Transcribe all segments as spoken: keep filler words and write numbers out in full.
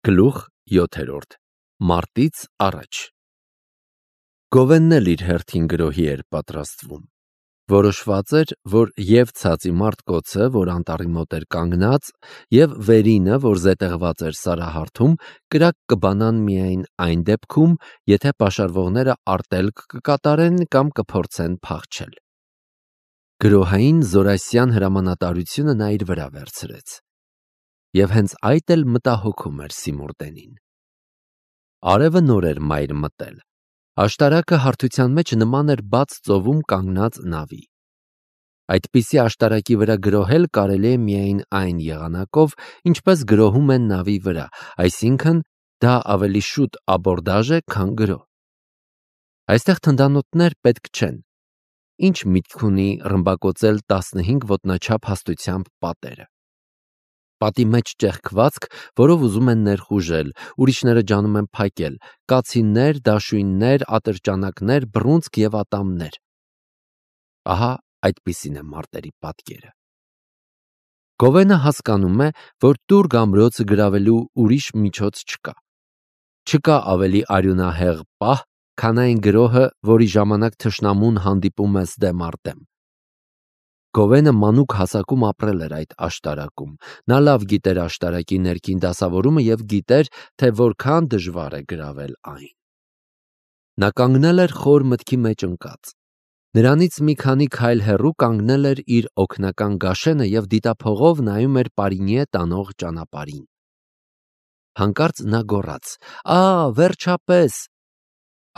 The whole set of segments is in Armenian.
Գլուխ յոթերորդ Մարտից առաջ Գովենն էլ իր հերթին գրոհի էր պատրաստվում։ Որոշված էր, որ և ցածի մարտկոցը, որ անտառի մոտ էր կանգնած, և վերինը, որ զետեղված էր սարահարթում, կրակ կբանան միայն այն դեպքում, եթե պաշարվողները արտելք կկատարեն կամ կփորձեն փախչել։ Գրոհային զորասյան հրամանատարությունը նա իր վրա վերցրեց։ Եվ հենց այդ էլ մտահոգում էր Սիմուրդենին։ Արևը նոր էր մայր մտել։ Աշտարակը հարթության մեջ նման էր բաց ծովում կանգնած նավի։ Այդպիսի աշտարակի վրա գրոհել կարելի է միայն այն եղանակով, ինչպես գրոհում են նավի վրա, այսինքն դա ավելի շուտ աբորդաժ է, քան գրոհ։ Այստեղ թնդանոթներ պետք չեն։ Ինչ միտք ունի ռմբակոծել տասնհինգ ոտնաչափ հաստությամբ պատերը։ Պատի մեջ ճեղքվածք, որով ուզում են ներխուժել, ուրիշները ջանում են փակել, կացիններ, դաշույններ, ատրճանակներ, բռունցք և ատամներ։ Ահա այդպիսին է մարտերի պատկերը։ Գովենը հասկանում է, որ տուրգ ամրոցը գրավելու ուրիշ միջոց չկա։ Չկա ավելի արյունահեղ պահ, քան այն գրոհը, որի ժամանակ թշնամուն հանդիպում ես դեմ առ դեմ։ Գովենը մանուկ հասակում ապրել էր այդ աշտարակում։ Նա լավ գիտեր աշտարակի ներքին դասավորումը և գիտեր, թե որքան դժվար է գրավել այն։ Նա կանգնել էր խոր մտքի մեջ ընկած։ Նրանից մի քանի քայլ հեռու կանգնել էր իր օգնական գաշենը և դիտափողով նայում էր Պարինիե տանող ճանապարհին։ Հանկարծ նա գոռաց. «Ա, վերջապես»։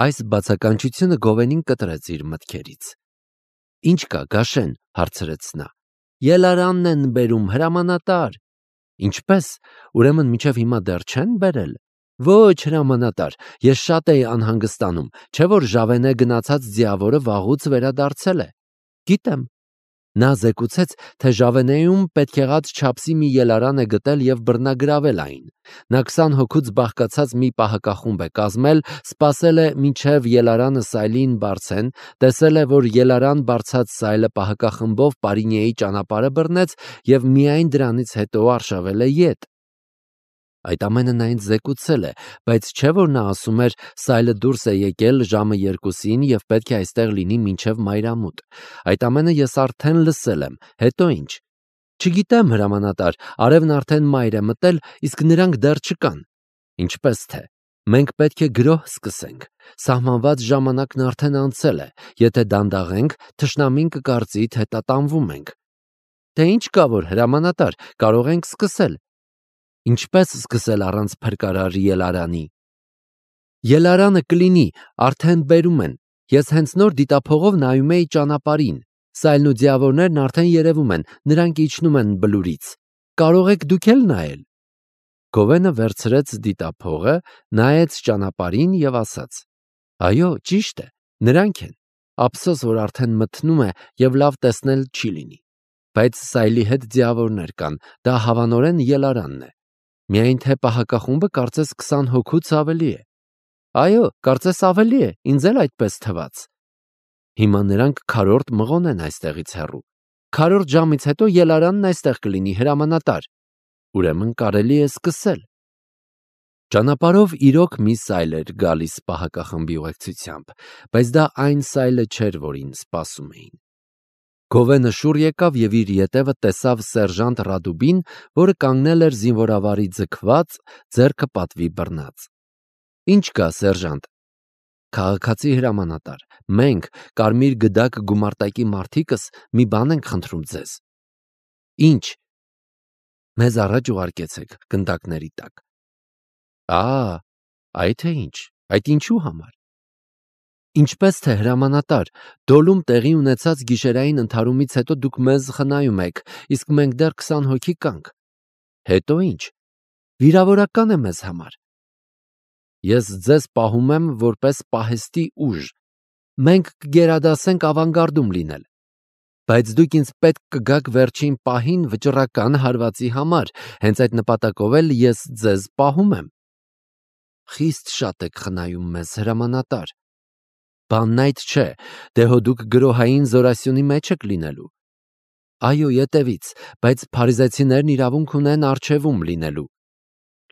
Այս բացականչությունը Գովենին կտրեց իր մտքերից։ «Ինչ կա, Գաշեն» հարցրեց նա։ «Ելարանն են բերում, հրամանատար»։ Ինչպե՞ս, ուրեմն մինչև հիմա դեռ չեն բերել։ Ոչ, հրամանատար, ես շատ էի անհանգստանում, չէ՞ որ Ժավենե գնացած ձիավորը վաղուց վերադարձել է։ Գիտեմ։ Նա զեկուցեց, թե Ժավենեում պետք եղած չափսի մի ելարան է գտել և բռնագրավել այն։ Նա քսան հոգուց բաղկացած մի պահակախումբ է կազմել, սպասել է, մինչև ելարանը սայլին բարձեն, տեսել է, որ ելարան բարձած սայլը պահակախմբով Պարինիեի ճանապարհը բռնեց և միայն դրանից հետո արշավել է ետ։ Այդ ամենը նա ինձ զեկուցել է, բայց չէ՞ որ նա ասում էր, սայլը դուրս է եկել ժամը երկուսին և պետք է այստեղ լինի մինչև մայրամուտ։ Այդ ամենը ես արդեն լսել եմ, հետո ինչ։ Չգիտեմ, հրամանատար, արևն արդեն մայր է մտել, իսկ նրանք դեռ չկան։ Ինչպես թե։ Մենք պետք է գրոհ սկսենք։ Սահմանված ժամանակն արդեն անցել է։ Եթե դանդաղենք, թշնամին կկարծի, թե տատանվում ենք։ Դե ինչ կա որ, հրամանատար, կարող ենք սկսել։ Ինչպես սկսել առանց փրկարար ելարանի։ Ելարանը կլինի, արդեն բերում են։ Ես հենց նոր դիտափողով նայում էի ճանապարհին։ Սայլն ու ձիավորներն արդեն երևում են, նրանք իջնում են բլուրից։ Կարող եք դուք էլ նայել։ Գովենը վերցրեց դիտափողը, նայեց ճանապարհին և ասաց. Այո, ճիշտ է, նրանք են։ Ափսոս, որ արդեն մթնում է և լավ տեսնել չի լինի։ Բայց սայլի հետ ձիավորներ կան, դա հավանորեն ելարանն է։ Միայն թե պահակախումբը կարծես քսան հոգուց ավելի է։ Այո, կարծես ավելի է, ինձ էլ այդպես թվաց։ Հիմա նրանք քառորդ մղոն են այստեղից հեռու։ Քառորդ ժամից հետո ելարանն այստեղ կլինի, հրամանատար։ Ուրեմն կարելի է սկսել։ Ճանապարհով իրոք մի սայլ էր գալիս պահակախմբի ուղեկցությամբ, բայց դա այն սայլը չէր, որին սպասում էին։ Գովենը շուռ եկավ և իր ետևը տեսավ սերժանտ Ռադուբին, որը կանգնել էր զինվորավարի ձգված, ձեռքը պատվի բռնած։ Ինչ կա, սերժանտ։ Քաղաքացի հրամանատար, մենք, կարմիր գդակ գումարտակի մարդիկս, մի բան ենք խնդրում ձեզ։ Ինչ։ Մեզ առաջ ուղարկեցեք գնդակների տակ։ Ա, այդ է ինչ, այդ ինչու համար։ Ինչպես թե հրամանատար, Դոլում տեղի ունեցած գիշերային ընդհարումից հետո դուք մեզ խնայում եք, իսկ մենք դեռ քսան հոգի կանք։ Հետո ինչ։ Վիրավորական է մեզ համար։ Ես ձեզ պահում եմ որպես պահեստի ուժ։ Մենք կգերադասենք ավանգարդում լինել։ Բայց դուք ինձ պետք կգաք վերջին պահին վճռական հարվածի համար, հենց այդ նպատակով էլ ես ձեզ պահում եմ։ Խիստ շատ եք խնայում մեզ, հրամանատար։ Բանն այդ չէ, դե հո դուք գրոհային զորասյունի մեջ եք լինելու։ Այո, ետևից, բայց փարիզեցիներն իրավունք ունեն առջևում լինելու։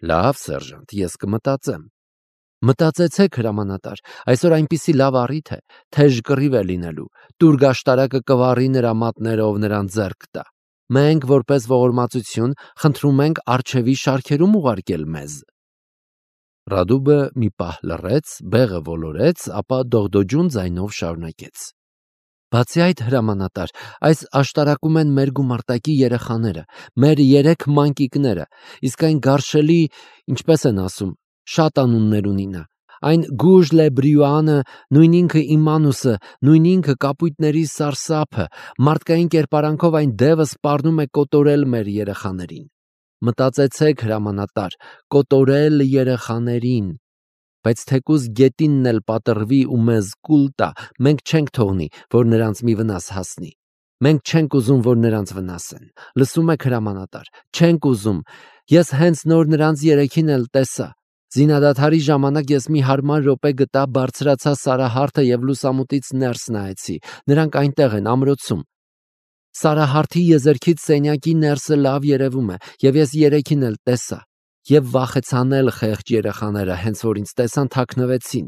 Լավ, սերժանտ, ես կմտածեմ։ Մտածեցեք, հրամանատար, այսօր այնպիսի լավ առիթ է, թեժ կռիվ է լինելու, տուր գաշտարակը կվառի նրա մատներով նրան ձեռք տա։ Մենք, որպես ողորմածություն, խնդրում ենք առջևի շարքերում ուղարկել մեզ։ Ռադուբը մի պահ լռեց, բեղը ոլորեց, ապա դողդոջուն ձայնով շարունակեց. Բացի այդ, հրամանատար, այս աշտարակում են մեր գումարտակի երեխաները, մեր երեք մանկիկները, իսկ այն գարշելի, ինչպես են ասում, շատ անուններ ունի նա։ Այն Գուժ Լե Բրյուանը, նույն ինքը Իմանուսը, նույն ինքը կապույտների սարսափը, մարդկային կերպարանքով այն դևը սպառնում է կոտորել մեր երեխաներին։ Մտածեցեք, հրամանատար, կոտորել երեխաներին։ Բայց թեկուզ գետինն էլ պատռվի ու մեզ կուլ տա, մենք չենք թողնի, որ նրանց մի վնաս հասնի։ Մենք չենք ուզում, որ նրանց վնասեն։ Լսում եք, հրամանատար, չենք ուզում։ Ես հենց նոր նրանց երեքին էլ տեսա։ Զինադադարի ժամանակ ես մի հարմար րոպե գտա, բարձրացա Սարահարթը և լուսամուտից ներս նայեցի։ Նրանք այնտեղ են, ամրոցում։ Սարահարթի եզերքից սենյակի ներսը լավ երևում է, և ես երեքին էլ տեսա։ Եվ վախեցան էլ խեղճ երեխաները, հենց որ ինձ տեսան, թաքնվեցին։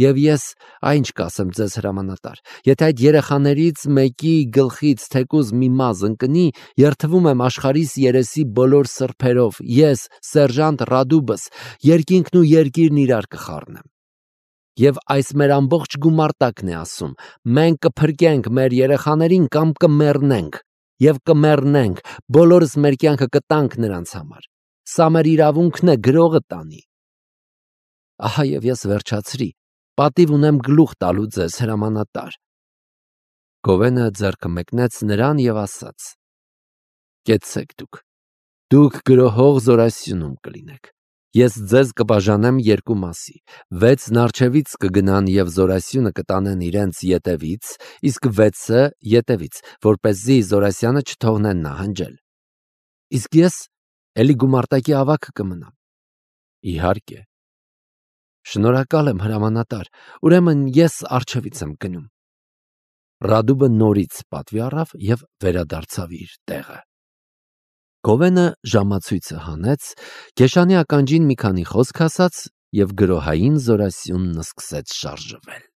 Եվ ես, այ ինչ կասեմ ձեզ, հրամանատար, եթե այդ երեխաներից մեկի գլխից թեկուզ մի մազ ընկնի, երդվում եմ աշխարհիս երեսի բոլոր սրբերով, ես, սերժանտ Ռադուբս, երկինքն ու երկիրն իրար կխառնեմ։ Եվ այս մեր ամբողջ գումարտակն է ասում, մենք կփրկենք մեր երեխաներին կամ կմեռնենք, և կմեռնենք, բոլորս մեր կյանքը կտանք նրանց համար։ Սա մեր իրավունքն է, գրողը տանի։ Ահա և ես վերջացրի, պատիվ ունեմ գլուխ տալու ձեզ, հրամանատար։ Գովենը ձեռքը մեկնեց նրան և ասաց. Կեցցեք դուք, դուք գրոհող Զորասյունում կլինեք։ Ես ձեզ կբաժանեմ երկու մասի, վեցն առջևից կգնան և Զորասյունը կտանեն իրենց ետևից, իսկ վեցը ետևից, որպեսզի Զորասյանը չթողնեն նահանջել։ Իսկ ես էլի գումարտակի ավագը կմնամ։ Իհարկե։ Շնորհակալ եմ, հրամանատար, ուրեմն ես առջևից եմ գնում։ Ռադուբը նորից պատվի առավ և վերադարձավ իր տեղը։ Գովենը ժամացույցը հանեց, Քեշանի ականջին մի քանի խոսք ասաց և գրոհային Զորասյունն սկսեց շարժվել։